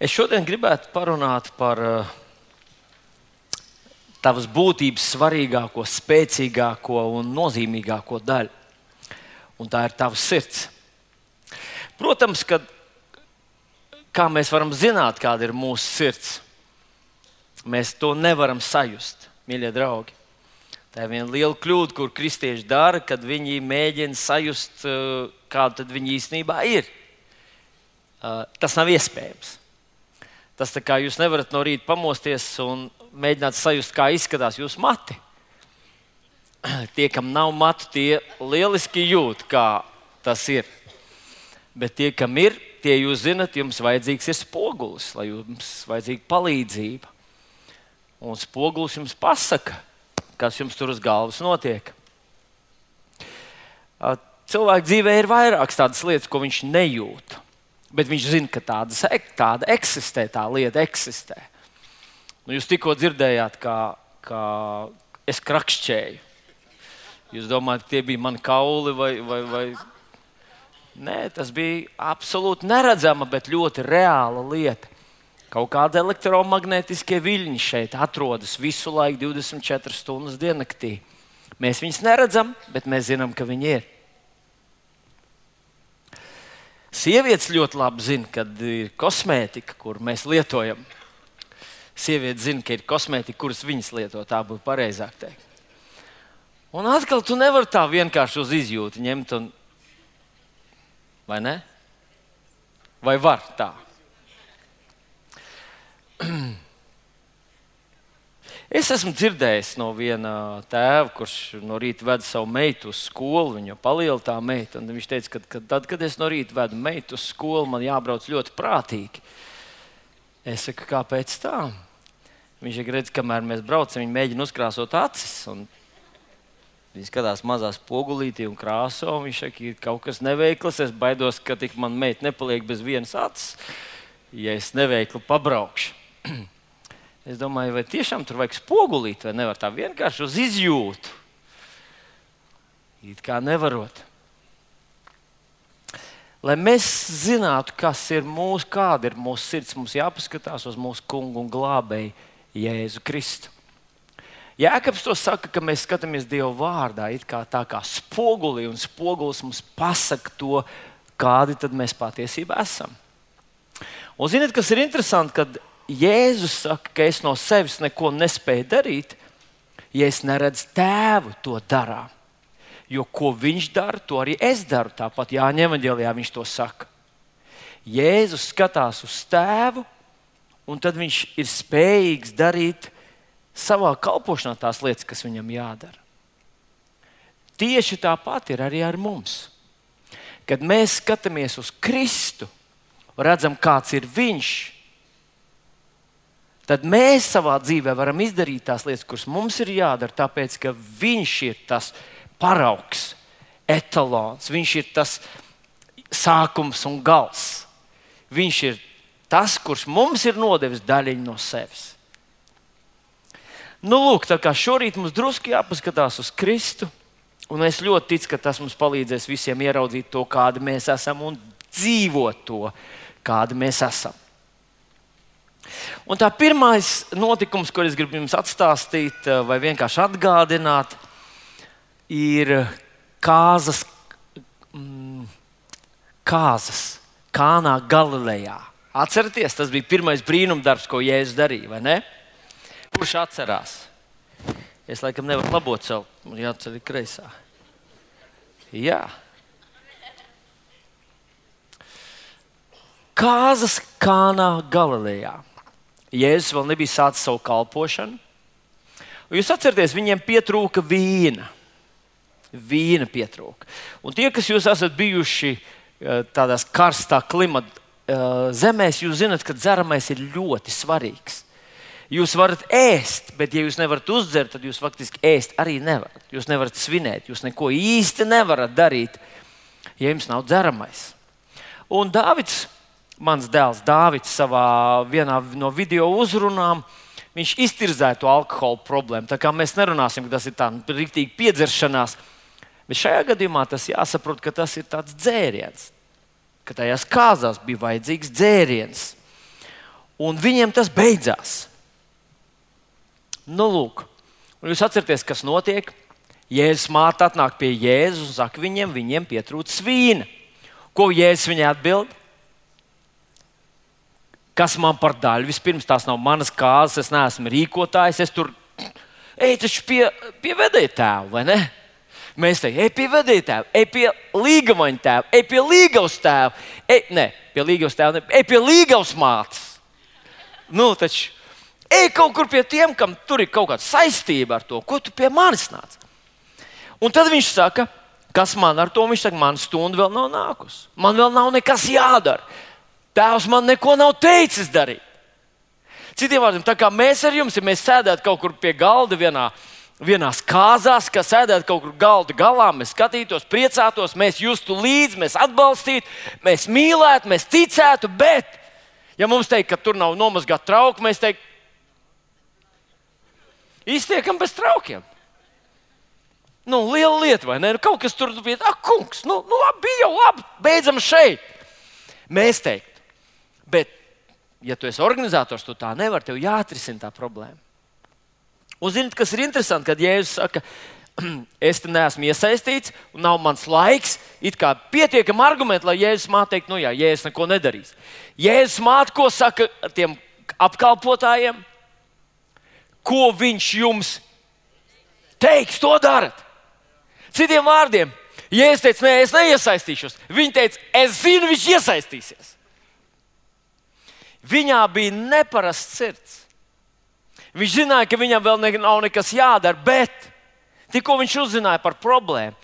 Es šodien gribētu parunāt par tavas būtības svarīgāko, spēcīgāko un nozīmīgāko daļu. Un tā ir tavs sirds. Protams, ka kā mēs varam zināt, kāda ir mūsu sirds, mēs to nevaram sajust, mīļie draugi. Tā ir viena liela kļūda, kur kristieši dara, kad viņi mēģina sajust, kāda tad viņi īstenībā ir. Tas nav iespējams. Tas tā kā jūs nevarat no rīta pamosties un mēģināt sajust, kā izskatās jūsu mati. Tie, kam nav matu, tie lieliski jūt, kā tas ir. Bet tie, kam ir, tie jūs zinat, jums vajadzīgs ir spogulis, lai jums vajadzīga palīdzība. Un spogulis jums pasaka, kas jums tur uz galvas notiek. Cilvēka dzīvē ir vairākas tādas lietas, ko viņš nejūt. Bet viņš zina, ka tāda eksistē, tā lieta eksistē. Nu, jūs tikko dzirdējāt, kā es krakšķēju. Jūs domājat, ka tie bija mani kauli vai... Nē, tas bija absolūti neredzama, bet ļoti reāla lieta. Kaut kādi elektromagnetiskie viļņi šeit atrodas visu laiku 24 stundas diennaktī. Mēs viņus neredzam, bet mēs zinām, ka viņi ir. Sievietes ļoti labi zina, kad ir kosmētika, kur mēs lietojam. Sievietes zina, ka ir kosmētika, kuras viņas lieto, tā būtu pareizāk teikt. Un atkal tu nevari tā vienkārši uz izjūtu ņemt, vai ne? Vai var tā? Es esmu dzirdējis no viena tēva, kurš no rīta veda savu meitu uz skolu. Viņa paliela tā meita. Viņš teica, ka tad, kad es no rīta vedu meitu uz skolu, man jābrauc ļoti prātīgi. Es saku, kāpēc tā? Viņš redz, kamēr mēs braucam, viņi mēģina uzkrāsot acis. Viņi skatās mazā spogulītī un krāso. Viņš saka, ir kaut kas neveikls. Es baidos, ka tik man meita nepaliek bez vienas acis, ja es neveikli pabraukšu. Es domāju, vai tiešām tur vajag spogulīt, vai nevar tā vienkārši uz izjūtu. It kā nevarot. Lai mēs zinātu, kāda ir mūsu sirds, mums jāpaskatās uz mūsu kungu un glābēju Jēzu Kristu. Jēkabs to saka, ka mēs skatāmies Dieva vārdā, it kā tā kā spogulī, un spogulis mums pasaka to, kādi tad mēs patiesībā esam. Un ziniet, kas ir interesanti, kad Jēzus saka, ka es no sevis neko nespēju darīt, ja es neredzu tēvu to darā. Jo ko viņš dara, to arī es daru. Tāpat Jāņa evaņģēlijā viņš to saka. Jēzus skatās uz tēvu, un tad viņš ir spējīgs darīt savā kalpošanā tās lietas, kas viņam jādara. Tieši tāpat ir arī ar mums. Kad mēs skatāmies uz Kristu, redzam, kāds ir viņš, tad mēs savā dzīvē varam izdarīt tās lietas, kuras mums ir jādara, tāpēc, ka viņš ir tas paraugs, etalons, viņš ir tas sākums un gals. Viņš ir tas, kurš mums ir nodevis daļiņu no sevis. Nu, lūk, tā kā šorīt mums drusku jāpaskatās uz Kristu, un es ļoti ticu, ka tas mums palīdzēs visiem ieraudzīt to, kādi mēs esam, un dzīvot to, kādi mēs esam. Un tā pirmais notikums, ko es gribu jums atstāstīt vai vienkārši atgādināt, ir kāzas Kānā Galilejā. Atceraties, tas bija pirmais brīnumdarbs, ko Jēzus darīja, vai ne? Kurš atcerās? Es laikam nevaru labot sev, man jāceļ kreisā. Jā. Kāzas Kānā Galilejā. Jēzus vēl nebija sācis savu kalpošanu. Jūs atceraties, viņiem pietrūka vīna. Vīna pietrūka. Un tie, kas jūs esat bijuši tādās karstā klimata zemēs, jūs zinat, ka dzeramais ir ļoti svarīgs. Jūs varat ēst, bet ja jūs nevarat uzdzert, tad jūs faktiski ēst arī nevarat. Jūs nevarat svinēt, jūs neko īsti nevarat darīt, ja jums nav dzeramais. Un Dāvids, mans dēls Dāvids, savā vienā no video uzrunām, viņš iztirzēja to alkohola problēmu. Tā kā mēs nerunāsim, ka tas ir tā riktīgi piedzeršanās, bet šajā gadījumā tas jāsaprot, ka tas ir tāds dzēriens, ka tajās kāzās bija vajadzīgs dzēriens. un viņiem tas beidzās. Nu, lūk, un jūs atcerieties, kas notiek? Jēzus māte atnāk pie Jēzus un saka viņiem pietrūkst vīna. Ko Jēzus viņai atbild? Kas man par daļu? Vispirms tās nav manas kāzas, es neesmu rīkotājs, es tur taču pie vedēja tēva, vai ne? Mēs teiktu, pie vedēja tēva, pie līgavaņa tēva, pie līgavas tēva, pie līgavas tēva, pie līgavas mātes. Nu, taču, kaut kur pie tiem, kam tur ir kaut kāda saistība ar to, ko tu pie manis nāc. Un tad viņš saka, kas man ar to? Viņš saka, man stunda vēl nav nākus. Man vēl nav nekas jādara. Tēvs man neko nav teicis darīt. Citiem vārdiem, tā kā mēs ar jums, ja mēs sēdētu kaut kur pie galda vienās kāzās, ka sēdētu kaut kur galda galā, mēs skatītos, priecātos, mēs justu līdzi, mēs atbalstītu, mēs mīlētu, mēs ticētu, bet, ja mums teikt, ka tur nav nomazgāt trauku, mēs teikt, iztiekam bez traukiem. Nu, liela lieta, vai ne? Kaut kas tur bija, kungs, labi, bija jau labi, beidzam šeit. Mēs teikt, bet, ja tu esi organizators, tu tā nevari, tev jāatrisina tā problēma. Un zināt, kas ir interesanti, kad Jēzus saka, es te neesmu iesaistīts un nav mans laiks, it kā pietiekami argumenti, lai Jēzus māte teikt, Jēzus neko nedarīs. Jēzus māte, ko saka tiem apkalpotājiem, ko viņš jums teiks, to darat. Citiem vārdiem, Jēzus teica, es neiesaistīšos. Viņa teica, es zinu, viņš iesaistīsies. Viņā bija neparasts sirds. Viņš zināja, ka viņam vēl nav nekas jādara, bet tikko viņš uzzināja par problēmu,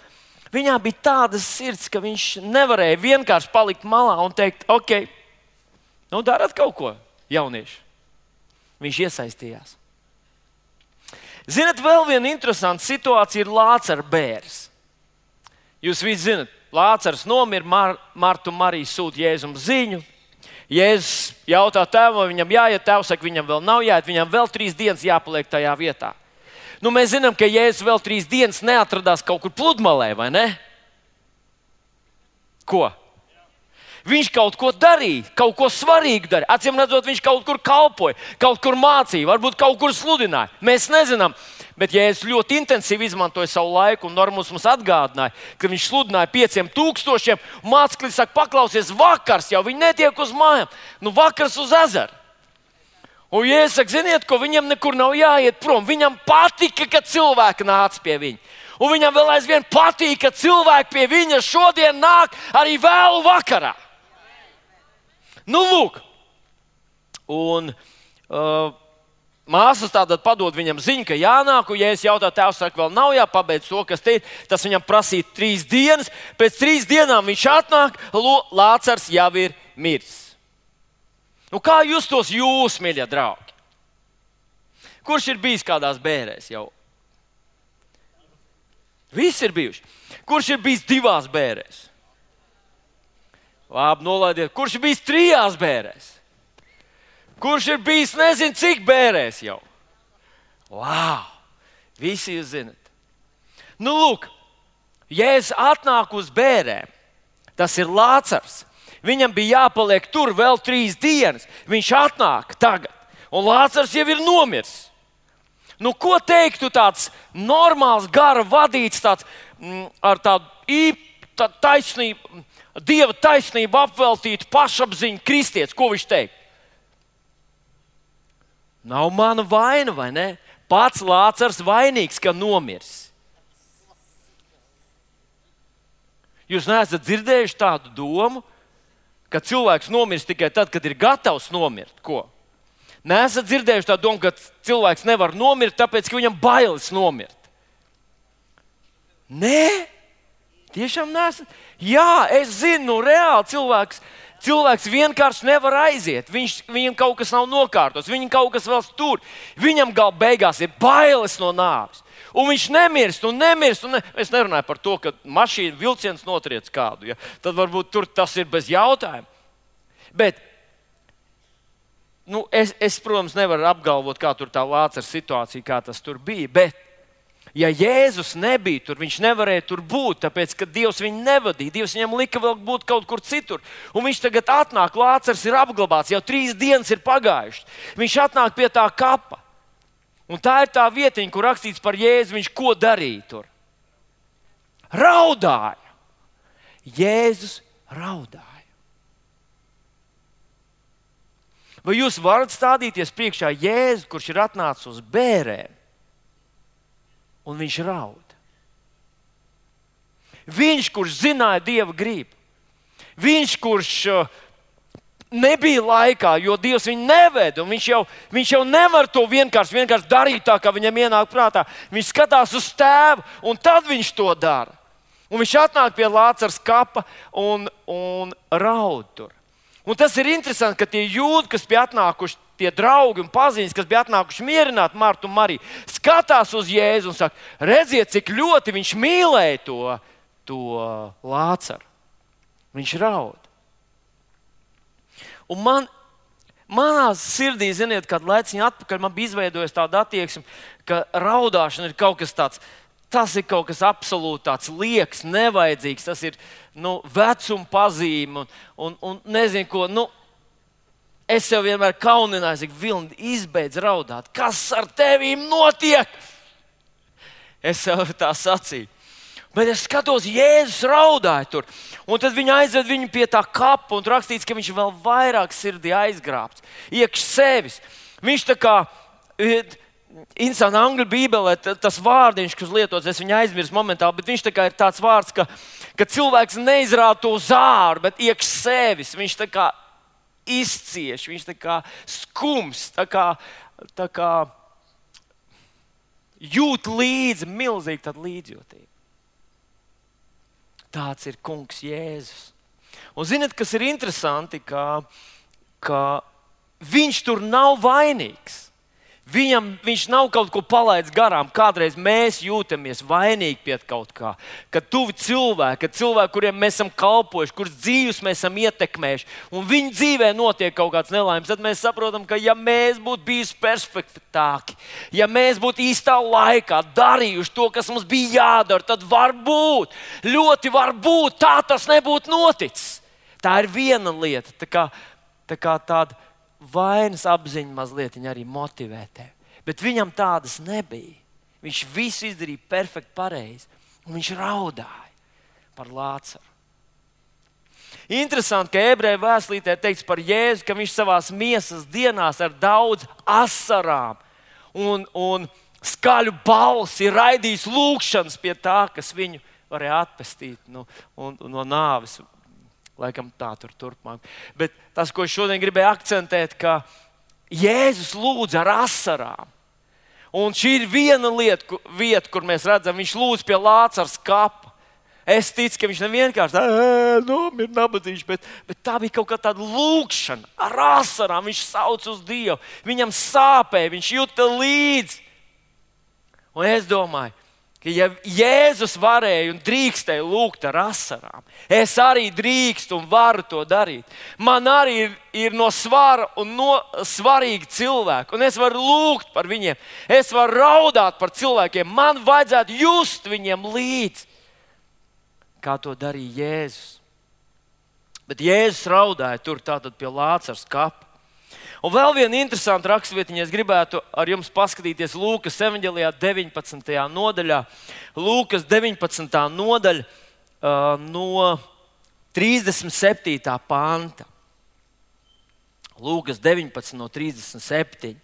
viņā bija tāda sirds, ka viņš nevarēja vienkārši palikt malā un teikt, ok, darat kaut ko, jaunieši. Viņš iesaistījās. Zinat, vēl viena interesanta situācija ir Lācara bērs. Jūs visi zinat, Lācars nomira, Marta un Marija sūta Jēzum ziņu. Jēzus jautā tēvam, vai viņam jāiet, tēvs saka, viņam vēl nav jāiet, viņam vēl 3 dienas jāpaliek tajā vietā. Mēs zinām, ka Jēzus vēl 3 dienas neatradās kaut kur pludmalē, vai ne? Ko? Viņš kaut ko darīja, kaut ko svarīgu darīja. Acīm redzot, viņš kaut kur kalpoja, kaut kur mācīja, varbūt kaut kur sludināja. Mēs nezinām, bet Jēzus ļoti intensīvi izmantoja savu laiku un Normūs mums atgādināja, ka viņš sludināja 5000. Mācekļi saka, paklausies, vakars jau, viņi netiek uz mājām, vakars uz ezeru. Un Jēzus saka, ziniet, ko viņam nekur nav jāiet prom. Viņam patika, ka cilvēki nāca pie viņa. Un viņam vēl aizvien patīk, ka cilvēki pie viņa šodien nāk arī vēlu vakarā. Lūk. Un māsas tātad padod viņam ziņu, ka jānāk, un Jēzus jautā, tēvs saka, vēl nav jāpabeidz to, kas te ir. Tas viņam prasīja 3 dienas. Pēc 3 dienām viņš atnāk, Lācars jau ir miris. Kā justos jūs, mīļie draugi? Kurš ir bijis kādās bērēs jau? Visi ir bijuši. Kurš ir bijis 2 bērēs? Labi, nolaidiet. Kurš ir bijis 3 bērēs? Kurš ir bijis nezinu cik bērēs jau? Wow! Visi jūs zinat. Lūk, Jēzus atnāk uz bērēm. Tas ir Lācars. Viņam bija jāpaliek tur vēl 3 dienas. Viņš atnāk tagad. Un Lācars jau ir nomiris. Ko teiktu tāds normāls, gara vadīts, tāds, ar tādu taisnību, Dieva taisnību apveltītu pašapziņu kristietis? Ko viņš teikt? Nav mana vaina, vai ne? Pats Lācars vainīgs, ka nomirs. Jūs neesat dzirdējuši tādu domu, ka cilvēks nomirst tikai tad, kad ir gatavs nomirt? Ko? Neesat dzirdējuši tādu domu, ka cilvēks nevar nomirt, tāpēc, ka viņam bailes nomirt? Nē, tiešām neesat. Jā, es zinu, reāli cilvēks vienkārši nevar aiziet. Viņam kaut kas nav nokārtos, viņam kaut kas vēl tur. Viņam beigās ir bailes no nāves. Un viņš nemirst un nemirst. Es nerunāju par to, ka mašīna vilciens notriec kādu. Ja? Tad varbūt tur tas ir bez jautājuma. Bet es, protams, nevaru apgalvot, kā tur tā Lācara situācija, kā tas tur bija. Bet Ja Jēzus nebija tur, viņš nevarēja tur būt, tāpēc, ka Dievs viņu nevadīja. Dievs viņam lika vēl būt kaut kur citur. Un viņš tagad atnāk, Lācars ir apglabāts, jau 3 dienas ir pagājušas. Viņš atnāk pie tā kapa. Un tā ir tā vietiņa, kur rakstīts par Jēzu, viņš ko darīja tur? Raudāja. Jēzus raudāja. Vai jūs varat stādīties priekšā Jēzu, kurš ir atnācis uz bērēm? Un viņš raud. Viņš, kurš zināja Dieva gribu. Viņš, kurš nebija laikā, jo Dievs viņu neveda. Viņš jau nevar to vienkārši darīt tā, kā viņam ienāk prātā. Viņš skatās uz tēvu, un tad viņš to dara. Un viņš atnāk pie Lācars kapa un raud tur. Un tas ir interesanti, ka tie jūdi, kas bija atnākuši, tie draugi un paziņas, kas bija atnākuši mierināt Martu un Mariju, skatās uz Jēzu un saka, redziet, cik ļoti viņš mīlēja to Lācaru. Viņš raud. Un manā sirdī, ziniet, kādu laiciņu atpakaļ man bija izveidojies tāda attieksme, ka raudāšana ir kaut kas tāds. Tas ir kaut kas absolūti tāds liekas, nevajadzīgs. Tas ir vecuma pazīme un nezinu ko. Es sev vienmēr kaunināju, ka Vilni izbeidz raudāt. Kas ar tevīm notiek? Es sev tā sacīju. Bet es skatos, Jēzus raudāja tur. Un tad viņi aizved viņu pie tā kapa un rakstīts, ka viņš vēl vairāk sirdī aizgrābts. Iekš sevis. Viņš tā kā... Interesanti, angļu bībelē tas vārdiņš, kas lietots, es viņu aizmirsu momentāli, bet viņš tā kā ir tāds vārds, ka cilvēks neizrāda to zāru, bet iekš sevis. Viņš tā kā izcieš, viņš tā kā skums, tā kā jūt līdzi, milzīgi tāda līdzjūtība. Tāds ir kungs Jēzus. Un ziniet, kas ir interesanti, ka viņš tur nav vainīgs. Viņš nav kaut ko palaidis garām. Kādreiz mēs jūtamies vainīgi pie kaut kā. Kad tuvi cilvēki, kuriem mēs esam kalpojuši, kurus dzīves mēs esam ietekmējuši, un viņu dzīvē notiek kaut kāds nelaimes, tad mēs saprotam, ka ja mēs būtu bijuši perfektāki, ja mēs būtu īstā laikā darījuši to, kas mums bija jādara, tad varbūt, ļoti varbūt tā tas nebūtu noticis. Tā ir viena lieta. Tā kā tāda vainas apziņa mazliet arī motivē tevi. Bet viņam tādas nebija. Viņš visu izdarīja perfekti pareizi. Un viņš raudāja par Lācaru. Interesanti, ka ebreju vēstulītē teikts par Jēzu, ka viņš savās miesas dienās ar daudz asarām un skaļu balsi ir raidījis lūgšanas pie tā, kas viņu varēja atpestīt no nāves. Laikam tā turpmāk. Bet tas, ko es šodien gribēju akcentēt, ka Jēzus lūdza ar asarām. Un šī ir viena vieta, kur mēs redzam, viņš lūdz pie Lācars kapa. Es ticu, ka viņš nevienkārši ir nabadzīgs, bet tā bija kaut kā tāda lūgšana ar asarām. Viņš sauc uz Dievu, viņam sāpēja, viņš jūta līdzi. Un es domāju, ka ja Jēzus varēja un drīkstēja lūgt ar asarām, es arī drīkstu un varu to darīt. Man arī ir no svara un no svarīgi cilvēki, un es varu lūgt par viņiem. Es varu raudāt par cilvēkiem. Man vajadzētu just viņiem līdzi, kā to darīja Jēzus. Bet Jēzus raudāja tur tātad pie Lācars kapa. Un vēl viena interesanta raksturvietiņa, es gribētu ar jums paskatīties Lūkas evaņģelijā 19. nodaļā. Lūkas 19. nodaļa no 37. panta. Lūkas 19 no 37.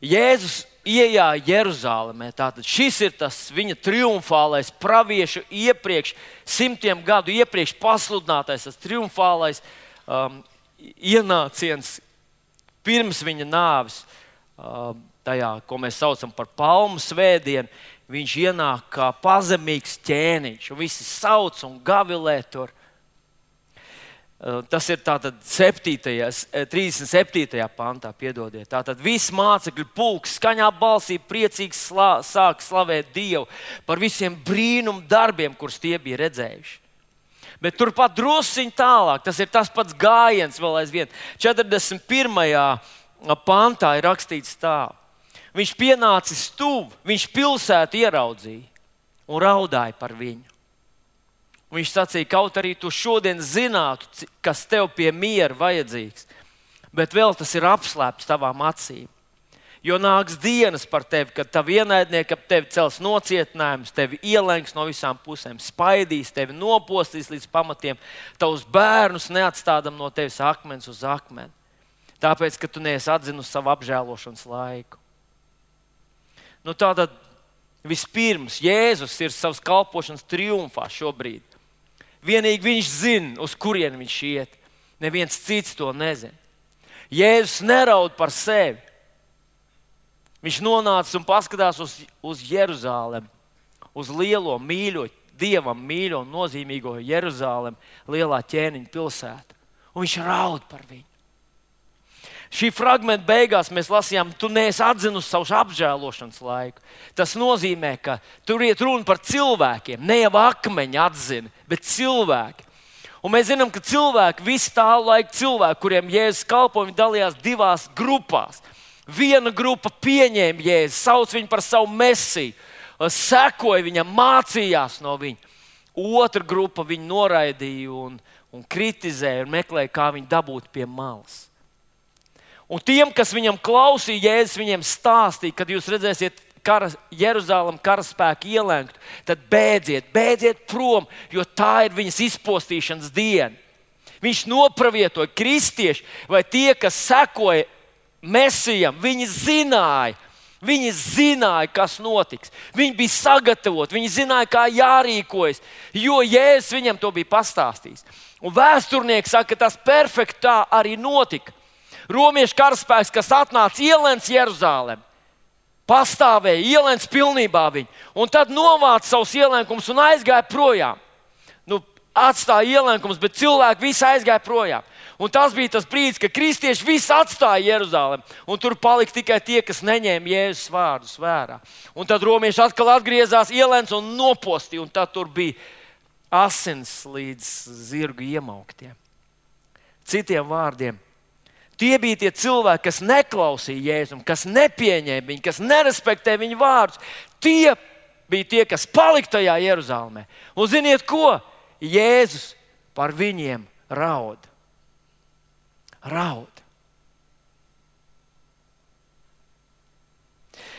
Jēzus iejāja Jeruzalemē. Tātad šis ir tas viņa triumfālais praviešu iepriekš, 100 gadu iepriekš pasludinātais, tas triumfālais ienāciens pirms viņa nāves, tajā, ko mēs saucam par Palmu svētdienu. Viņš ienāk kā pazemīgs ķēniņš, un visi sauc un gavilē tur. Tas ir tātad 37. pantā, piedodiet. Tātad viss mācekļu pulks skaņā balsī priecīgi sāk slavēt Dievu par visiem brīnumu darbiem, kurus tie bija redzējuši. Bet turpat drusciņ tālāk, tas ir tas pats gājiens vēl aizvien. 41. pantā ir rakstīts tā. Viņš pienācis tuvu, viņš pilsētu ieraudzīja un raudāja par viņu. Un viņš sacīja, kaut arī tu šodien zinātu, kas tev pie miera vajadzīgs, bet vēl tas ir apslēpts tavām acīm. Jo nāks dienas par tevi, kad tavi ienaidnieki ap tevi cels nocietinājumus, tevi ielenks no visām pusēm, spaidīs, tevi nopostīs līdz pamatiem, tavus bērnus neatstādam no tevis akmens uz akmeni. Tāpēc, ka tu neesi atzinusi savu apžēlošanas laiku. Tātad vispirms Jēzus ir savas kalpošanas triumfā šobrīd. Vienīgi viņš zina, uz kurieni viņš iet. Neviens cits to nezina. Jēzus neraud par sevi. Viņš nonāca un paskatās uz Jeruzalemi, uz lielo, mīļo, Dievam mīļo un nozīmīgo Jeruzalemi, lielā ķēniņa pilsētu. Un viņš raud par viņu. Šī fragmenta beigās mēs lasījām, tu neesi atzinusi savu apžēlošanas laiku. Tas nozīmē, ka tur iet runa par cilvēkiem, ne jau akmeņi atzina, bet cilvēki. Un mēs zinām, ka cilvēki, visu tā laika cilvēki, kuriem Jēzus kalpoja, viņi dalījās divās grupās. Viena grupa pieņēma Jēzu, sauc viņu par savu mesiju, sekoja viņam, mācījās no viņa. Otra grupa viņu noraidīja un kritizēja un meklēja, kā viņu dabūt pie malas. Un tiem, kas viņam klausīja, Jēzus viņiem stāstīja, kad jūs redzēsiet Jeruzalem karaspēku ielenkt, tad bēdziet prom, jo tā ir viņas izpostīšanas diena. Viņš nopravietoja kristieši vai tie, kas sekoja Mesijam, viņi zināja, kas notiks. Viņi bija sagatavoti, viņi zināja, kā jārīkojas, jo Jēzus viņam to bija pastāstījis. Un vēsturnieki saka, ka tas perfekti tā arī notika. Romiešu karaspēks, kas atnāca ielēns Jeruzalem, pastāvēja, ielēns pilnībā viņu, un tad novāca savus ielēnkumus un aizgāja projām. Atstāja ielēnkumus, bet cilvēki visi aizgāja projām. Un tas bija tas brīdis, kad kristieši visi atstāja Jeruzalem, un tur palika tikai tie, kas neņēma Jēzus vārdus vērā. Un tad romieši atkal atgriezās, ielēns un nopostīja, un tad tur bija asins līdz zirgu iemauktiem. Citiem vārdiem, tie bija tie cilvēki, kas neklausīja Jēzum, kas nepieņēma viņu, kas nerespektēja viņu vārdus. Tie bija tie, kas palika tajā Jeruzalemē. Un ziniet ko? Jēzus par viņiem raud.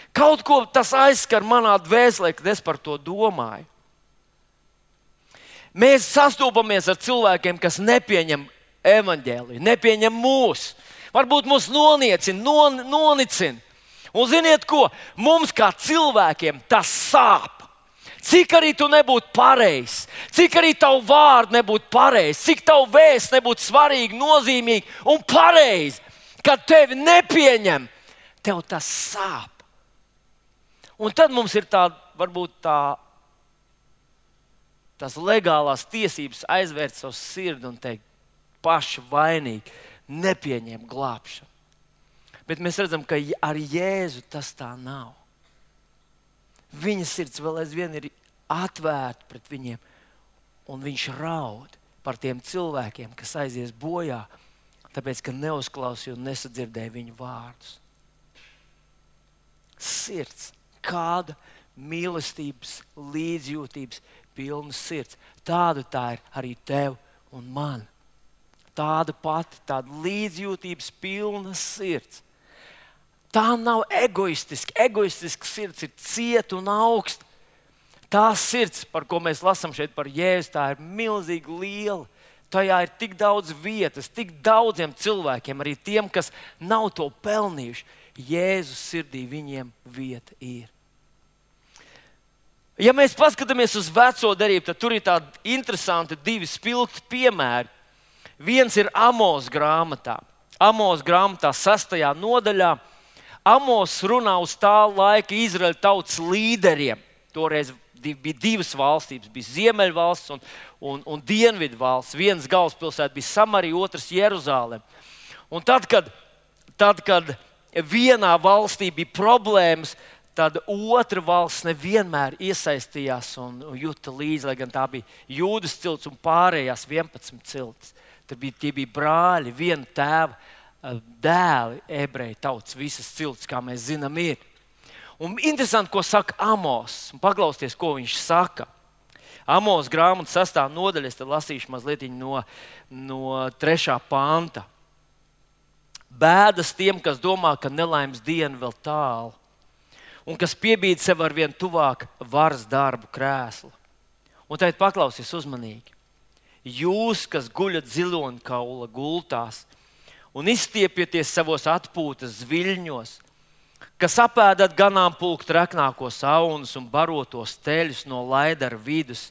Kaut ko tas aizskar manā dvēselē, kad es par to domāju. Mēs sastopamies ar cilvēkiem, kas nepieņem evaņģēliju, nepieņem mūs. Varbūt mūs nonicina. Un ziniet ko? Mums kā cilvēkiem tas sāp. Cik arī tu nebūtu pareizs, cik arī tavu vārdu nebūtu pareizs, cik tavu vēsts nebūtu svarīgi, nozīmīgi un pareizi, kad tevi nepieņem, tev tas sāp. Un tad mums ir tās legālās tiesības aizvērt savu sirdi un teikt, paši vainīgi, nepieņem glābšanu. Bet mēs redzam, ka ar Jēzu tas tā nav. Viņa sirds vēl aizvien ir atvērta pret viņiem, un viņš raud par tiem cilvēkiem, kas aizies bojā, tāpēc, ka neuzklausīja un nesadzirdēja viņu vārdus. Sirds, kāda mīlestības, līdzjūtības pilna sirds. Tāda tā ir arī tev un man. Tāda pati, tāda līdzjūtības pilna sirds. Tā nav egoistiska. Egoistiska sirds ir cieta un augsta. Tā sirds, par ko mēs lasām šeit par Jēzu, tā ir milzīgi liela. Tajā ir tik daudz vietas, tik daudziem cilvēkiem, arī tiem, kas nav to pelnījuši. Jēzus sirdī viņiem vieta ir. Ja mēs paskatāmies uz veco derību, tad tur ir tādi interesanti divi spilgti piemēri. Viens ir Amos grāmatā. Amos grāmatā 6. nodaļā. Amos runā uz tā laika Izraēļa tautas līderiem. Toreiz bija divas valstības, bija Ziemeļvalsts un Dienvidu valsts. Vienas galvaspilsēta bija Samarija, otrs Jeruzalem. Un tad, kad vienā valstī bija problēmas, tad otra valsts nevienmēr iesaistījās un juta līdzi, lai gan tā bija Jūdas cilts un pārējās 11 ciltis. Tie bija brāļi, viena tēva dēli, ebreju tautas, visas ciltis, kā mēs zinām, ir. Un interesanti, ko saka Amos. Paklausieties, ko viņš saka. Amos grāmatas 6. nodaļa, es lasīšu mazliet no 3. panta. Bēdas tiem, kas domā, ka nelaimes diena vēl tālu, un kas piebīd sev ar vien tuvāk varas darbu krēslu. Un tagad paklausies uzmanīgi. Jūs, kas guļat ziloņkaula gultās un izstiepjaties savos atpūtas zviļņos, kas apēdat ganāmpulku treknākos aunus un barotos teļus no laidara vidus,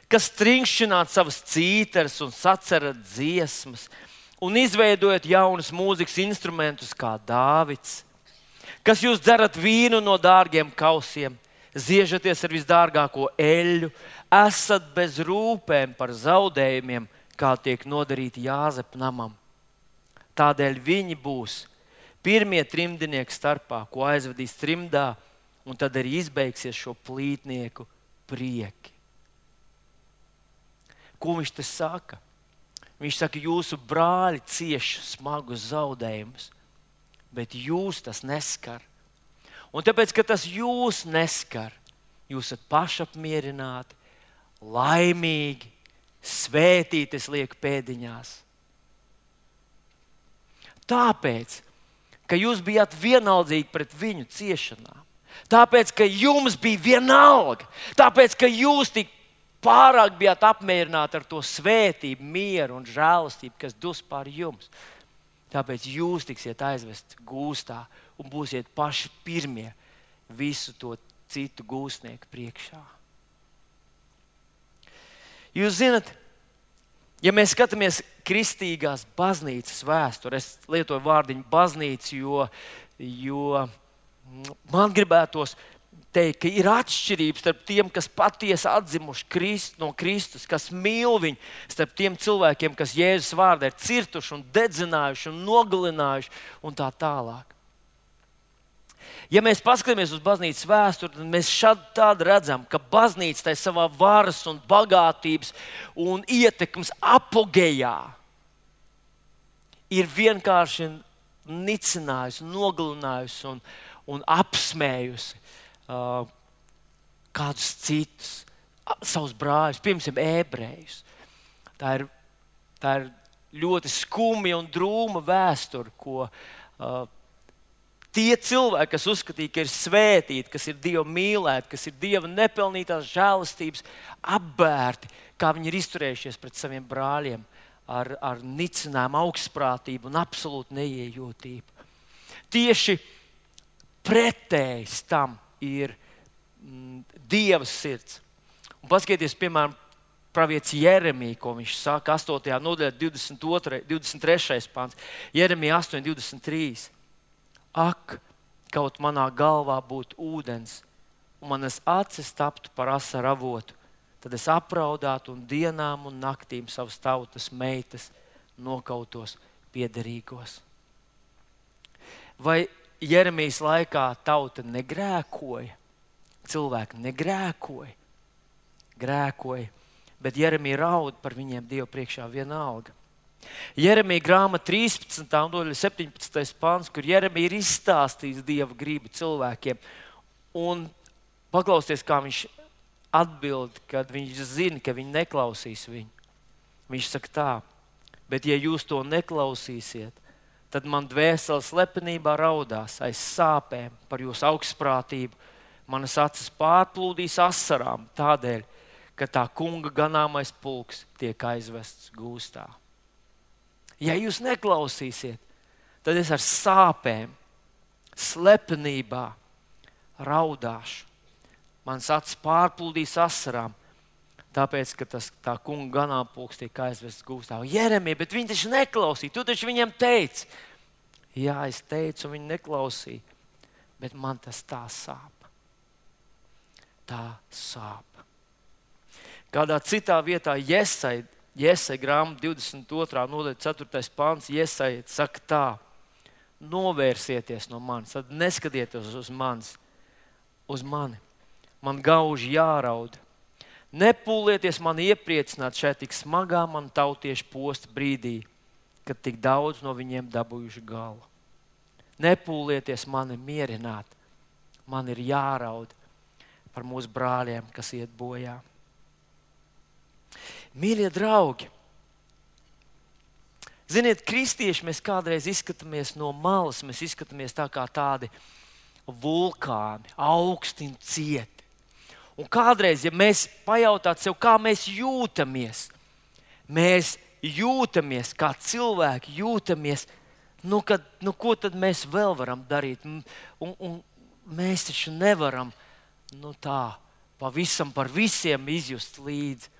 kas trinkšķināt savas cīteres un sacerat dziesmas un izveidojat jaunus mūzikas instrumentus kā Dāvids, kas jūs dzerat vīnu no dārgiem kausiem, ziežaties ar visdārgāko eļļu, esat bez rūpēm par zaudējumiem, kā tiek nodarīti Jāzepa namam. Tādēļ viņi būs pirmie trimdnieki starpā, ko aizvedīs trimdā, un tad arī izbeigsies šo plītnieku prieki. Ko viņš te saka? Viņš saka, jūsu brāļi cieš smagus zaudējumus, bet jūs tas neskar. Un tāpēc, ka tas jūs neskar, jūs esat pašapmierināti, laimīgi, svētīti, es lieku pēdiņās. Tāpēc, ka jūs bijāt vienaldzīgi pret viņu ciešanām. Tāpēc, ka jums bija vienalga. Tāpēc, ka jūs tik pārāk bijāt apmierināti ar to svētību, mieru un žēlastību, kas dus pār jums. Tāpēc jūs tiksiet aizvesti gūstā un būsiet paši pirmie visu to citu gūstnieku priekšā. Jūs zinat, ja mēs skatāmies kristīgās baznīcas vēsturi, es lietoju vārdiņu baznīca, jo man gribētos teikt, ka ir atšķirības starp tiem, kas patiesi atzimuši no Kristus, kas mīl viņu, starp tiem cilvēkiem, kas Jēzus vārdā ir cirtuši un dedzinājuši un nogalinājuši un tā tālāk. Ja mēs paskatāmies uz baznīcas vēsturi, tad mēs šādi redzam, ka baznīca tai savā varas un bagātības un ietekmes apogejā ir vienkārši nicinājusi, nogalinājusi un apsmējusi kādus citus, savus brāļus, piemēram, ebrejus. Tā ir ļoti skumja un drūma vēsture, ko tie cilvēki, kas uzskatīja, ka ir svētīti, kas ir Dieva mīlēti, kas ir Dieva nepelnītās žēlastības apbērti, kā viņi ir izturējušies pret saviem brāļiem ar nicinājumu, augstprātību un absolūtu neiejūtību. Tieši pretējs tam ir Dieva sirds. Un paskatieties, piemēram, pravietis Jeremija, ko viņš saka 8. nodaļā 23. pants. Jeremija 8:23. Ak, kaut manā galvā būtu ūdens, un manas acis taptu par asaru avotu, tad es apraudātu un dienām un naktīm savas tautas meitas nokautos piederīgos. Vai Jeremijas laikā tauta negrēkoja? Cilvēki negrēkoja. Grēkoja, bet Jeremija raud par viņiem Dievu priekšā vienalga. Jeremija grāmata 13. nodaļa 17. pants, kur Jeremija ir izstāstījis Dieva gribu cilvēkiem. Un paklausieties, kā viņš atbild, kad viņš zina, ka viņi neklausīs viņu. Viņš saka tā, bet ja jūs to neklausīsiet, tad man dvēsele slepenībā raudās aiz sāpēm par jūsu augstprātību. Manas acis pārplūdīs asarām tādēļ, ka tā kunga ganāmais pulks tiek aizvests gūstā. Ja jūs neklausīsiet, tad es ar sāpēm, slepenībā raudāšu. Mans acis pārplūdīs asarām, tāpēc, ka tā kunga ganāmpulks tiek aizvests gūstā. Jeremija, bet viņi taču neklausīja. Tu taču viņiem teici. Jā, es teicu, un viņi neklausīja. Bet man tas tā sāp. Tā sāp. Kādā citā vietā Jesaja grāmata 22. nodaļa 4. pants, Jesaja saka tā: novērsieties no manis, tad neskatieties uz mani. Man gauži jāraud. Nepūlieties mani iepriecināt šajā tik smagā man tautiešu posta brīdī, kad tik daudz no viņiem dabūjuši galu. Nepūlieties mani mierināt. man ir jāraud par mūsu brāļiem, kas iet bojā. Mīļie draugi, ziniet, kristieši mēs kādreiz izskatāmies no malas, mēs izskatāmies tā kā tādi vulkāni, augsti un cieti. Un kādreiz, ja mēs pajautātu sev, kā mēs jūtamies, kā cilvēki jūtamies, ko tad mēs vēl varam darīt? Un mēs taču nevaram tā pavisam par visiem izjust līdzi.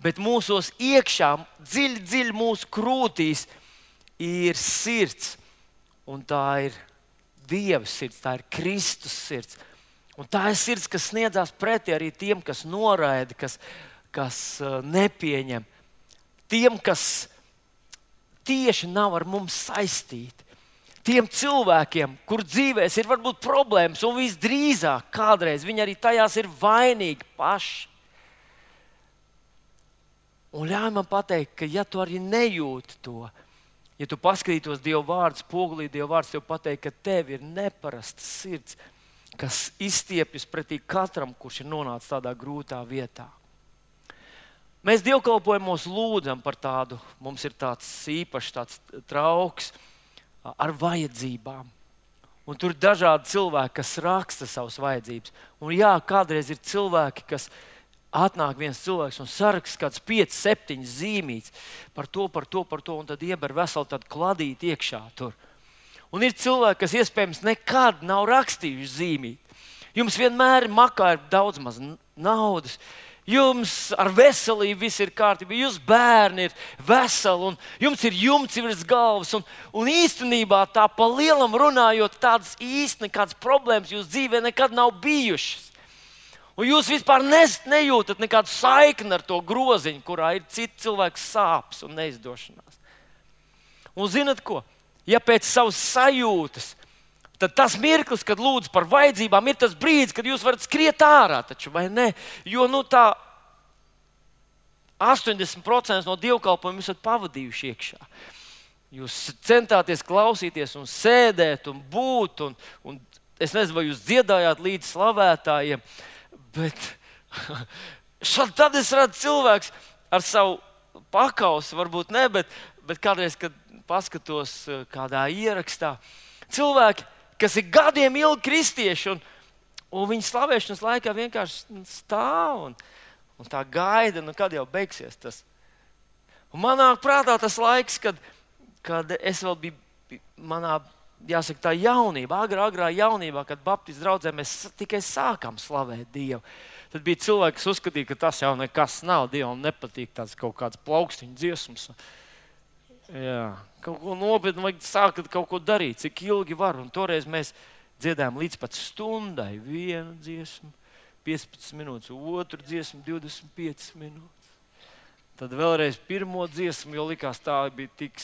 Bet mūsos iekšā, dziļi mūsu krūtīs ir sirds. Un tā ir Dieva sirds, tā ir Kristus sirds. Un tā ir sirds, kas sniedzās pretī arī tiem, kas noraida, kas nepieņem. Tiem, kas tieši nav ar mums saistīti. Tiem cilvēkiem, kur dzīvēs ir varbūt problēmas, un visdrīzāk kādreiz viņi arī tajās ir vainīgi paši. Un ļauj man pateikt, ka ja tu arī nejūti to, ja tu paskatītos Dieva vārdu spogulī, Dieva vārds tev pateikt, ka tev ir neparasta sirds, kas izstiepjas pretī katram, kurš ir nonācis tādā grūtā vietā. Mēs dievkalpojumos lūdzam par tādu, mums ir tāds īpašs tāds trauks ar vajadzībām. Un tur ir dažādi cilvēki, kas raksta savas vajadzības. Un jā, kādreiz ir cilvēki, kas atnāk viens cilvēks un saraksta kāds 5, 7 zīmītes par to, un tad ieber veselu tādu kladīti iekšā tur. Un ir cilvēki, kas iespējams nekad nav rakstījuši zīmīti. Jums vienmēr makā ir daudz maz naudas. Jums ar veselību viss ir kārtībā, jūs bērni ir veseli, un jums ir jumts virs galvas. Un īstenībā tā pa lielam runājot, tādas īsti nekādas problēmas jūsu dzīvē nekad nav bijušas. Un jūs vispār nejūtat nekādu saikni ar to groziņu, kurā ir citi cilvēku sāpes un neizdošanās. Un zinat ko? Ja pēc savas sajūtas, tad tas mirklis, kad lūdzu par vajadzībām, ir tas brīdis, kad jūs varat skriet ārā, taču, vai ne? Jo tā 80% no dievkalpojuma jūs esat pavadījuši iekšā. Jūs centāties klausīties un sēdēt un būt, un es nezinu, vai jūs dziedājāt līdz slavētājiem, bet tad es redzu cilvēks ar savu pakausu, varbūt ne, bet kādreiz, kad paskatos kādā ierakstā, cilvēki, kas ir gadiem ilgi kristieši, un viņi slavēšanas laikā vienkārši stāv un tā gaida, kad jau beigsies tas. Un manā prātā tas laiks, kad es vēl biju manā, jāsaka, tā jaunībā, agrā jaunībā, kad Baptistu draudzē mēs tikai sākām slavēt Dievu. Tad bija cilvēki, kas uzskatīja, ka tas jau nekas nav, Dievam nepatīk tāds kaut kāds plaukstiņu dziesmas. Jā, kaut ko nopietni vajag sākt kaut ko darīt, cik ilgi var. Un toreiz mēs dziedājām līdz pat stundai. Vienu dziesmu, 15 minūtes, otru dziesmu, 25 minūtes. Tad vēlreiz pirmo dziesmu, jo likās tā bija tik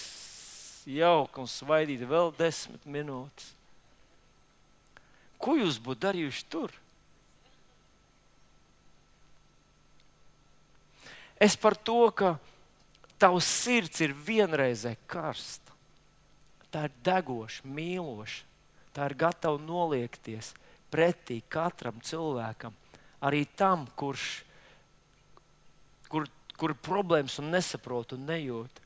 jauka un svaidīta, vēl 10 minūtes. Ko jūs būtu darījuši tur? Es par to, ka tavs sirds ir vienreizē karsta. Tā ir degoša, mīloša. Tā ir gatava noliekties pretī katram cilvēkam. Arī tam, kur problēmas un nesaprot un nejūt.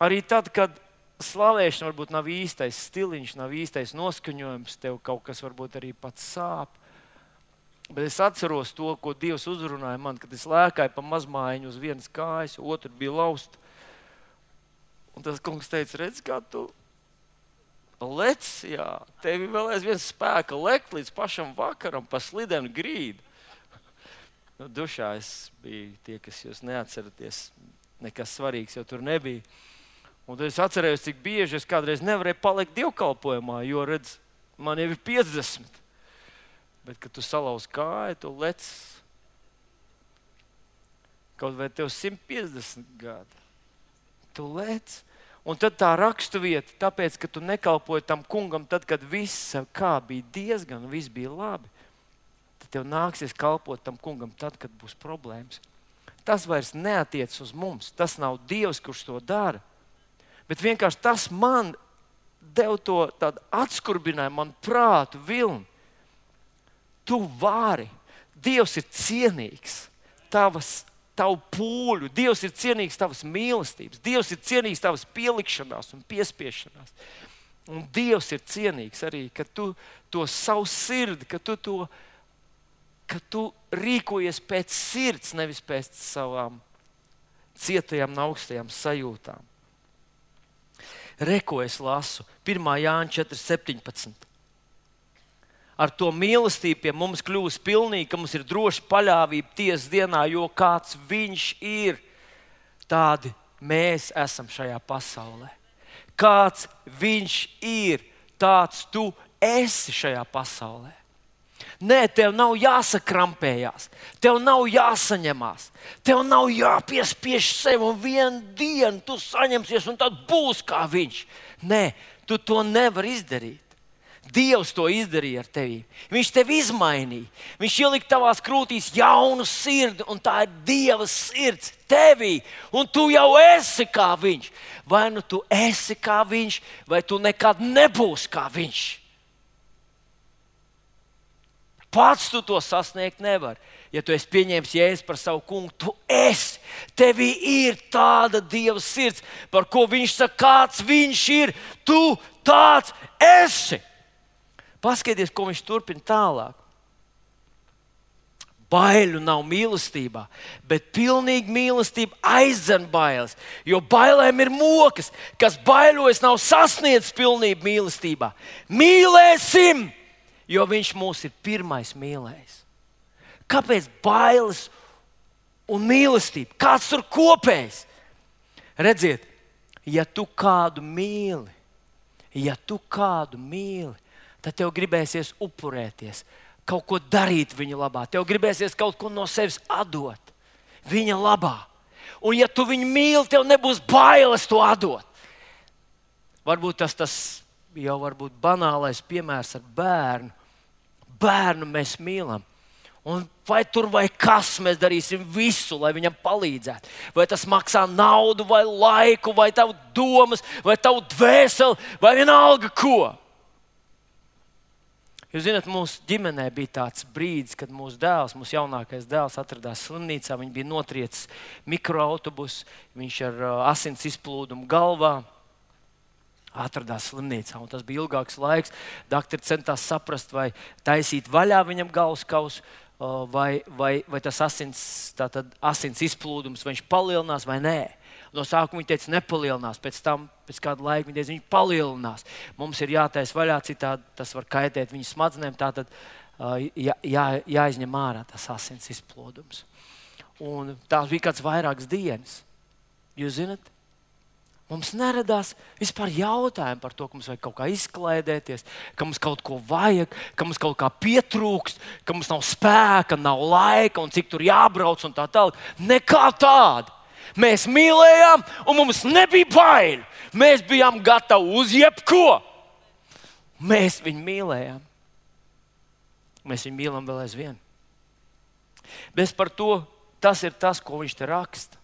Arī tad, kad slavēšana varbūt nav īstais stiliņš, nav īstais noskaņojums, tev kaut kas varbūt arī pats sāp. Bet es atceros to, ko Dievs uzrunāja man, kad es lēkāju pa mazmājiņu uz vienas kājas, otru bija lausta. Un tas kungs teica, redz, kā tu lec, jā, tevi vēl aizvien spēka lekt līdz pašam vakaram pa slidenu grīdu. Dušā es biju tie, kas jūs neatceraties, nekas svarīgs jau tur nebija. Un tad es atcerējos, cik bieži es kādreiz nevarēju palikt dievkalpojumā, jo, redz, man jau ir 50. Bet, kad tu salauz kāju, tu lec kaut vai tev 150 gadi. Tu lec. Un tad tā raksturvieta, tāpēc, ka tu nekalpoji tam kungam tad, kad viss kā bija diezgan, viss bija labi, tad tev nāksies kalpot tam kungam tad, kad būs problēmas. Tas vairs neatiec uz mums. Tas nav Dievs, kurš to dara. Bet vienkārši tas man deva to tādu atskurbinājumu, man prātu vilni. Tu vari. Dievs ir cienīgs tavu pūļu. Dievs ir cienīgs tavas mīlestības. Dievs ir cienīgs tavas pielikšanās un piespiešanās. Un Dievs ir cienīgs arī, ka tu to savu sirdi, ka tu rīkojies pēc sirds, nevis pēc savām cietajām un augstajām sajūtām. Ko es lasu 1. Jāņa 4.17. Ar to mīlestību pie mums kļūst pilnīgi, ka mums ir droša paļāvība tiesas dienā, jo kāds viņš ir, tādi mēs esam šajā pasaulē. Kāds viņš ir, tāds tu esi šajā pasaulē. Nē, tev nav jāsakrampējās, tev nav jāsaņemās, tev nav jāpiespiež sev un vienu dienu tu saņemsies un tad būs kā viņš. Nē, tu to nevari izdarīt. Dievs to izdarīja ar tevi. Viņš tevi izmainīja. Viņš ielika tavās krūtīs jaunu sirdi, un tā ir Dieva sirds tevī. Un tu jau esi kā viņš. Vai nu tu esi kā viņš, vai tu nekad nebūsi kā viņš. Pats tu to sasniegt nevari. Ja tu esi pieņēmis Jēzu par savu kungu, tu esi. Tevī ir tāda Dieva sirds, par ko viņš saka, kāds viņš ir. Tu tāds esi. Paskaties, ko viņš turpina tālāk. Baiļu nav mīlestībā, bet pilnīga mīlestība aizdzen bailes. Jo bailēm ir mokas, kas baiļojas, nav sasniedzis pilnību mīlestībā. Mīlēsim, jo viņš mūs ir pirmais mīlējis. Kāpēc bailes un mīlestība? Kāds tur kopējs? Redziet, ja tu kādu mīli, tad tev gribēsies upurēties, kaut ko darīt viņa labā. Tev gribēsies kaut ko no sevis atdot viņa labā. Un ja tu viņu mīli, tev nebūs bailes to atdot. Varbūt tas jau varbūt banālais piemērs ar bērnu. Bērnu mēs mīlam. Un vai tur vai kas mēs darīsim visu, lai viņam palīdzētu. Vai tas maksā naudu, vai laiku, vai tavu domas, vai tavu dvēseli, vai vienalga ko. Jūs zināt, mūsu ģimenē bija tāds brīdis, kad mūsu jaunākais dēls atradās slimnīcā. Viņš bija notriecis mikroautobusu, viņš ar asins izplūdumu galvā atradās slimnīcā. Un tas bija ilgāks laiks. Daktori centās saprast, vai taisīt vaļā viņam galvas kausu, vai tas asins izplūdums, vai viņš palielinās vai nē. No sākuma viņi teica, nepalielinās, pēc kāda laika viņi teica, viņi palielinās. Mums ir jātaisa vaļā, citādi tas var kaitēt viņu smadzenēm, tātad jāizņem ārā tas asins izplūdums. Un tās bija kāds vairākas dienas. Jūs zināt, mums neradās vispār jautājumi par to, ka mums vajag kaut kā izklaidēties, ka mums kaut ko vajag, ka mums kaut kā pietrūkst, ka mums nav spēka, nav laika un cik tur jābrauc un tā tālāk. Nekā tāda. Mēs mīlējām, un mums nebija bail. Mēs bijām gatavi uz jebko. Mēs viņu mīlējām. Mēs viņu mīlam vēl aizvien. Bet par to tas ir tas, ko viņš te raksta.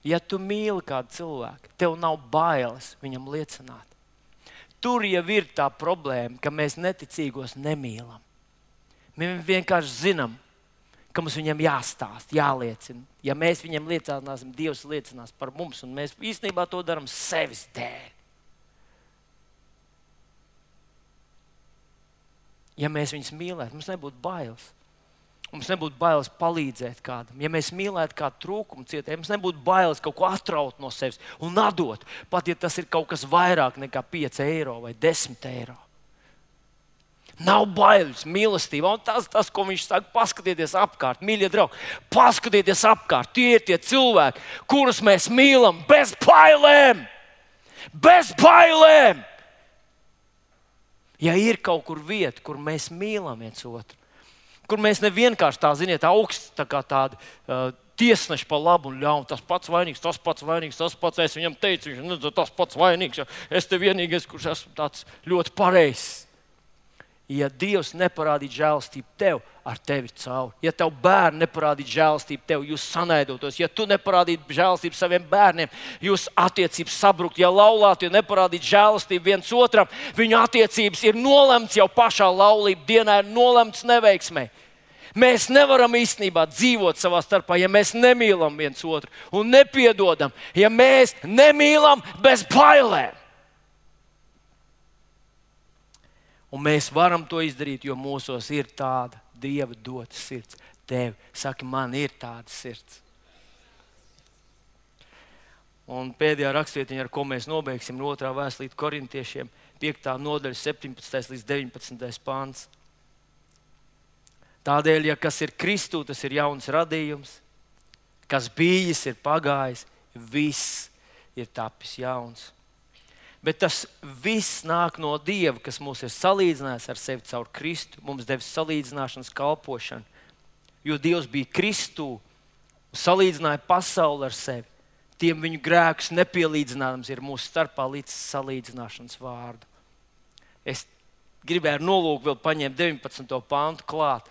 Ja tu mīli kādu cilvēku, tev nav bailes viņam liecināt. Tur jau ir tā problēma, ka mēs neticīgos nemīlam. Mēs vienkārši zinām, ka mums viņam jāstāst, jāliecina. Ja mēs viņam liecināsim, Dievs liecinās par mums, un mēs īstenībā to darām sevis dēļ. Ja mēs viņus mīlētu, mums nebūtu bailes. Mums nebūtu bailes palīdzēt kādam. Ja mēs mīlētu kādu trūkumu cietēju, mums nebūtu bailes kaut ko atraut no sevis un atdot. Pat ja tas ir kaut kas vairāk nekā 5 eiro vai 10 eiro. Nav bailes, mīlestība. Un tas, ko viņš saka, paskatieties apkārt, mīļie draugi. Paskatieties apkārt, tie ir tie cilvēki, kurus mēs mīlam bez bailēm. Bez bailēm. Ja ir kaut kur vieta, kur mēs mīlam viens otru, kur mēs nevienkārši tā, ziniet, augsts tā kā tādi tiesneši pa labu un ļaunu, tas pats vainīgs, tas pats vainīgs, tas pats, es viņam teicu, viņš tas pats vainīgs, es te vienīgais, kurš esmu tāds ļoti pareizs. Ja Dievs neparādītu žēlastību tev, ar tevi cauri, ja tev bērni neparādītu žēlastību tev, jūs sanaidotos, ja tu neparādītu žēlastību saviem bērniem, jūs attiecības sabrukt, ja laulātu, ja neparādītu žēlastību viens otram, viņu attiecības ir nolemts jau pašā laulību dienā, ir nolemts neveiksmē. Mēs nevaram īstenībā dzīvot savā starpā, ja mēs nemīlam viens otru un nepiedodam, ja mēs nemīlam bez bailēm. Un mēs varam to izdarīt, jo mūsos ir tāda Dieva dota sirds. Tev, saki, man ir tāda sirds. Un pēdējā rakstvietiņa, ar ko mēs nobeigsim, ir 2. vēstule Korintiešiem, 5. nodaļa, 17. līdz 19. pāns. Tādēļ, ja kas ir Kristū, tas ir jauns radījums, kas bijis, ir pagājis, viss ir tapis jauns. Bet tas viss nāk no Dieva, kas mūs ir salīdzinājis ar sevi caur Kristu, mums devis salīdzināšanas kalpošanu. Jo Dievs bija Kristū un salīdzināja pasauli ar sevi. Tiem viņu grēkus nepielīdzināms ir mūsu starpā līdz salīdzināšanas vārdu. Es gribēju ar nolūku vēl paņemt 19. pāntu klāt.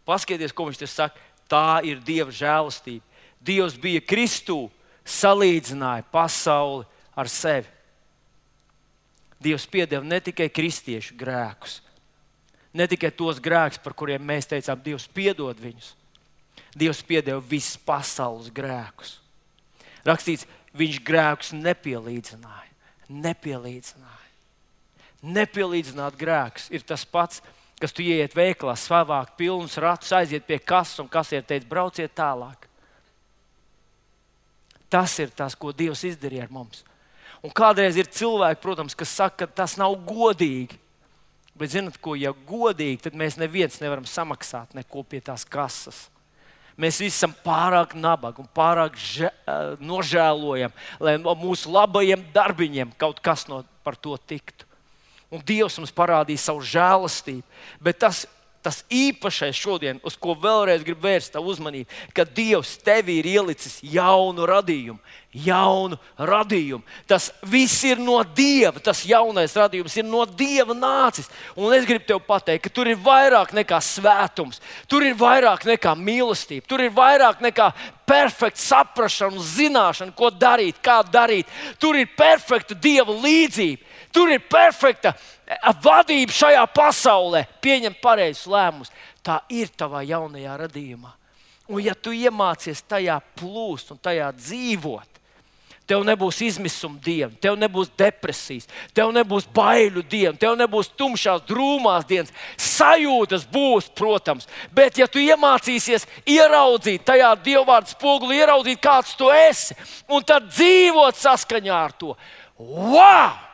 Paskaties, ko viņš te saka. Tā ir Dieva žēlastība. Dievs bija Kristū, salīdzināja pasauli ar sevi. Dievs piedeva ne tikai kristiešu grēkus, ne tikai tos grēkus, par kuriem mēs teicām, Dievs piedod viņus. Dievs piedeva visas pasaules grēkus. Rakstīts, viņš grēkus nepielīdzināja. Nepielīdzināt grēkus ir tas pats, kas tu ieiet veikalā, savāk pilnus ratus, aiziet pie kases un kasiere teica, brauciet tālāk. Tas ir tas, ko Dievs izdarīja ar mums. Un kādreiz ir cilvēki, protams, kas saka, ka tas nav godīgi. Bet zināt ko, ja godīgi, tad mēs neviens nevaram samaksāt neko pie tās kases. Mēs visi esam pārāk nabagi un pārāk nožēlojam, lai no mūsu labajiem darbiņiem kaut kas par to tiktu. Un Dievs mums parādīja savu žēlastību. Bet tas īpašais šodien, uz ko vēlreiz gribu vērst tavu uzmanību, ka Dievs tevi ir ielicis jaunu radījumu. Tas viss ir no Dieva, tas jaunais radījums ir no Dieva nācis. Un es gribu tev pateikt, ka tur ir vairāk nekā svētums, tur ir vairāk nekā mīlestība, tur ir vairāk nekā perfekta saprašana un zināšana, ko darīt, kā darīt. Tur ir perfekta Dieva līdzība, tur ir perfekta vadība šajā pasaulē, pieņemt pareizus lēmumus. Tā ir tavā jaunajā radījumā. Un ja tu iemācies tajā plūst un tajā dzīvot, tev nebūs izmisuma diena, tev nebūs depresijas, tev nebūs baiļu diena, tev nebūs tumšās, drūmās dienas. Sajūtas būs, protams, bet ja tu iemācīsies ieraudzīt tajā Dievvvārda spogulī, ieraudzīt, kāds tu esi, un tad dzīvot saskaņā ar to, wow!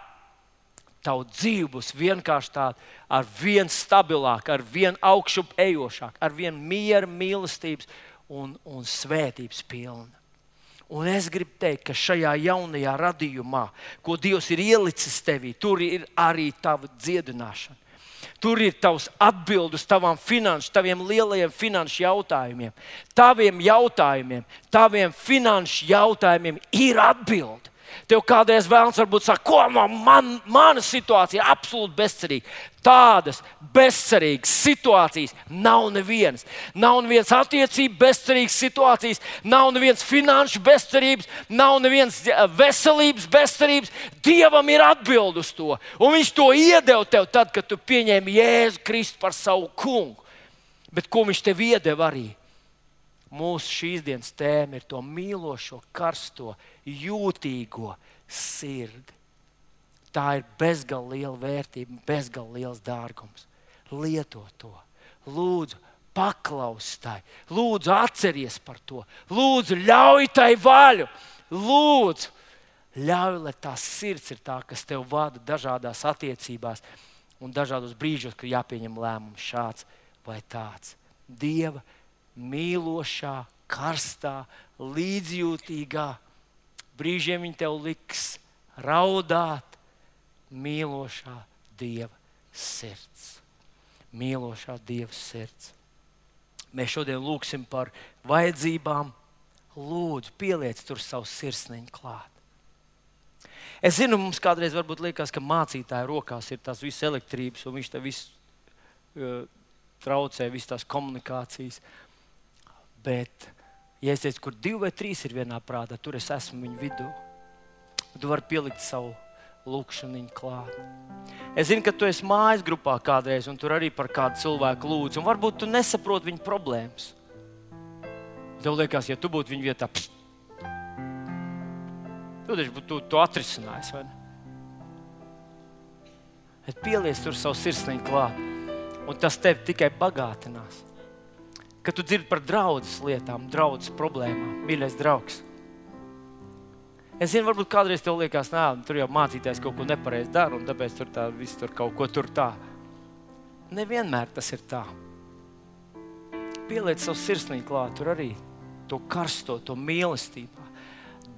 Tavu dzīve būs vienkārši tāda, ar vien stabilāk, ar vien augšup ejošāk, ar vien miera, mīlestības un svētības pilna. Un es gribu teikt, ka šajā jaunajā radījumā, ko Dievs ir ielicis tevī, tur ir arī tava dziedināšana. Tur ir tavs atbildes taviem lielajiem finanšu jautājumiem. Taviem finanšu jautājumiem ir atbilde. Tev kādreiz vēlams varbūt saka, ko mana situācija ir absolūti bezcerīga. Tādas bezcerīgas situācijas nav nevienas. Nav nevienas attiecību bezcerīgas situācijas, nav nevienas finanšu bezcerības, nav nevienas veselības bezcerības. Dievam ir atbild uz to. Un viņš to iedeva tev tad, kad tu pieņēmi Jēzu Kristu par savu kungu. Bet ko viņš tev iedeva arī? Mūsu šīs dienas tēma ir to mīlošo, karsto, jūtīgo sirdi. Tā ir bezgalīgi liela vērtība, bezgalīgi liels dārgums. Lieto to. Lūdzu, paklaus tai. Lūdzu, atceries par to. Lūdzu, ļauj tai vaļu. Lūdzu, ļauj, lai tā sirds ir tā, kas tev vada dažādās attiecībās un dažādos brīžos, kad jāpieņem lēmums šāds vai tāds. Dieva mīlošā, karstā, līdzjūtīgā. Brīžiem viņi tev liks raudāt. Mīlošā Dieva sirds. Mīlošā Dieva sirds. Mēs šodien lūgsim par vajadzībām. Lūdzu, pieliec tur savu sirsniņu klāt. Es zinu, mums kādreiz varbūt liekas, ka mācītāja rokās ir tās visas elektrības un viņš te visu traucē visas tās komunikācijas. Bet, ja es teicu, kur 2 vai 3 ir vienā prātā, tur es esmu viņu vidū. Tu vari pielikt savu lūkšaniņu klāt. Es zinu, ka tu esi mājas grupā kādreiz, un tur arī par kādu cilvēku lūdzu, un varbūt tu nesaproti viņa problēmas. Tev liekas, ja tu būtu viņa vietā, tu atrisinājis, vai ne? Bet pieliec tur savu sirsniņu klāt, un tas tevi tikai bagātinās. Kad tu dzirdi par draudzes lietām, draudzes problēmām, mīļais draugs. Es zinu, varbūt kādreiz tev liekas, tur jau mācītājs kaut ko nepareizi dara, un tāpēc viss tur kaut ko tur tā. Nevienmēr tas ir tā. Pieliec savu sirsniņu klāt, tur arī to karsto, to mīlestībā,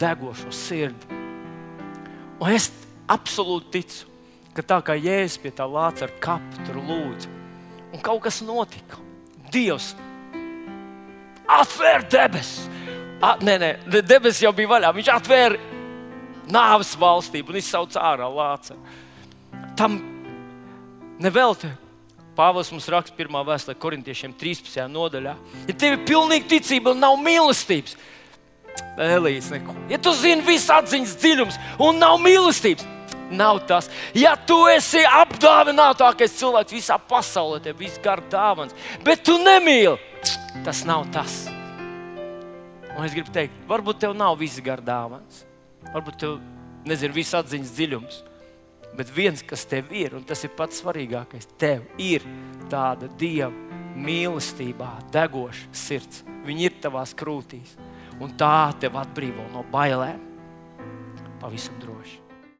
degošo sirdi. Un es absolūti ticu, ka tā kā Jēzus pie tā lāca ar kapu, tur lūdzu, un kaut kas notika. Dievs atvēra debesis. Debesis jau bija vaļā. Viņš atvēra nāves valstību un izsauca ārā lācaru. Tam nevelti Pāvils mums raksta 1. vēstulē Korintiešiem 13. nodaļā. Ja tev ir pilnīga ticība un nav mīlestības, Elijas neko. Ja tu zini visu atziņas dziļums un nav mīlestības, nav tas. Ja tu esi apdāvinātākais cilvēks visā pasaulē, tev viss gar dāvans, bet tu nemīli, tas nav tas. Un es gribu teikt, varbūt tev nav viss gar dāvans. Varbūt tev, viss atziņas dziļums. Bet viens, kas tev ir, un tas ir pats svarīgākais, tev ir tāda Dieva mīlestībā degoša sirds. Viņa ir tavās krūtīs. Un tā tev atbrīvo no bailēm. Pavisam droši.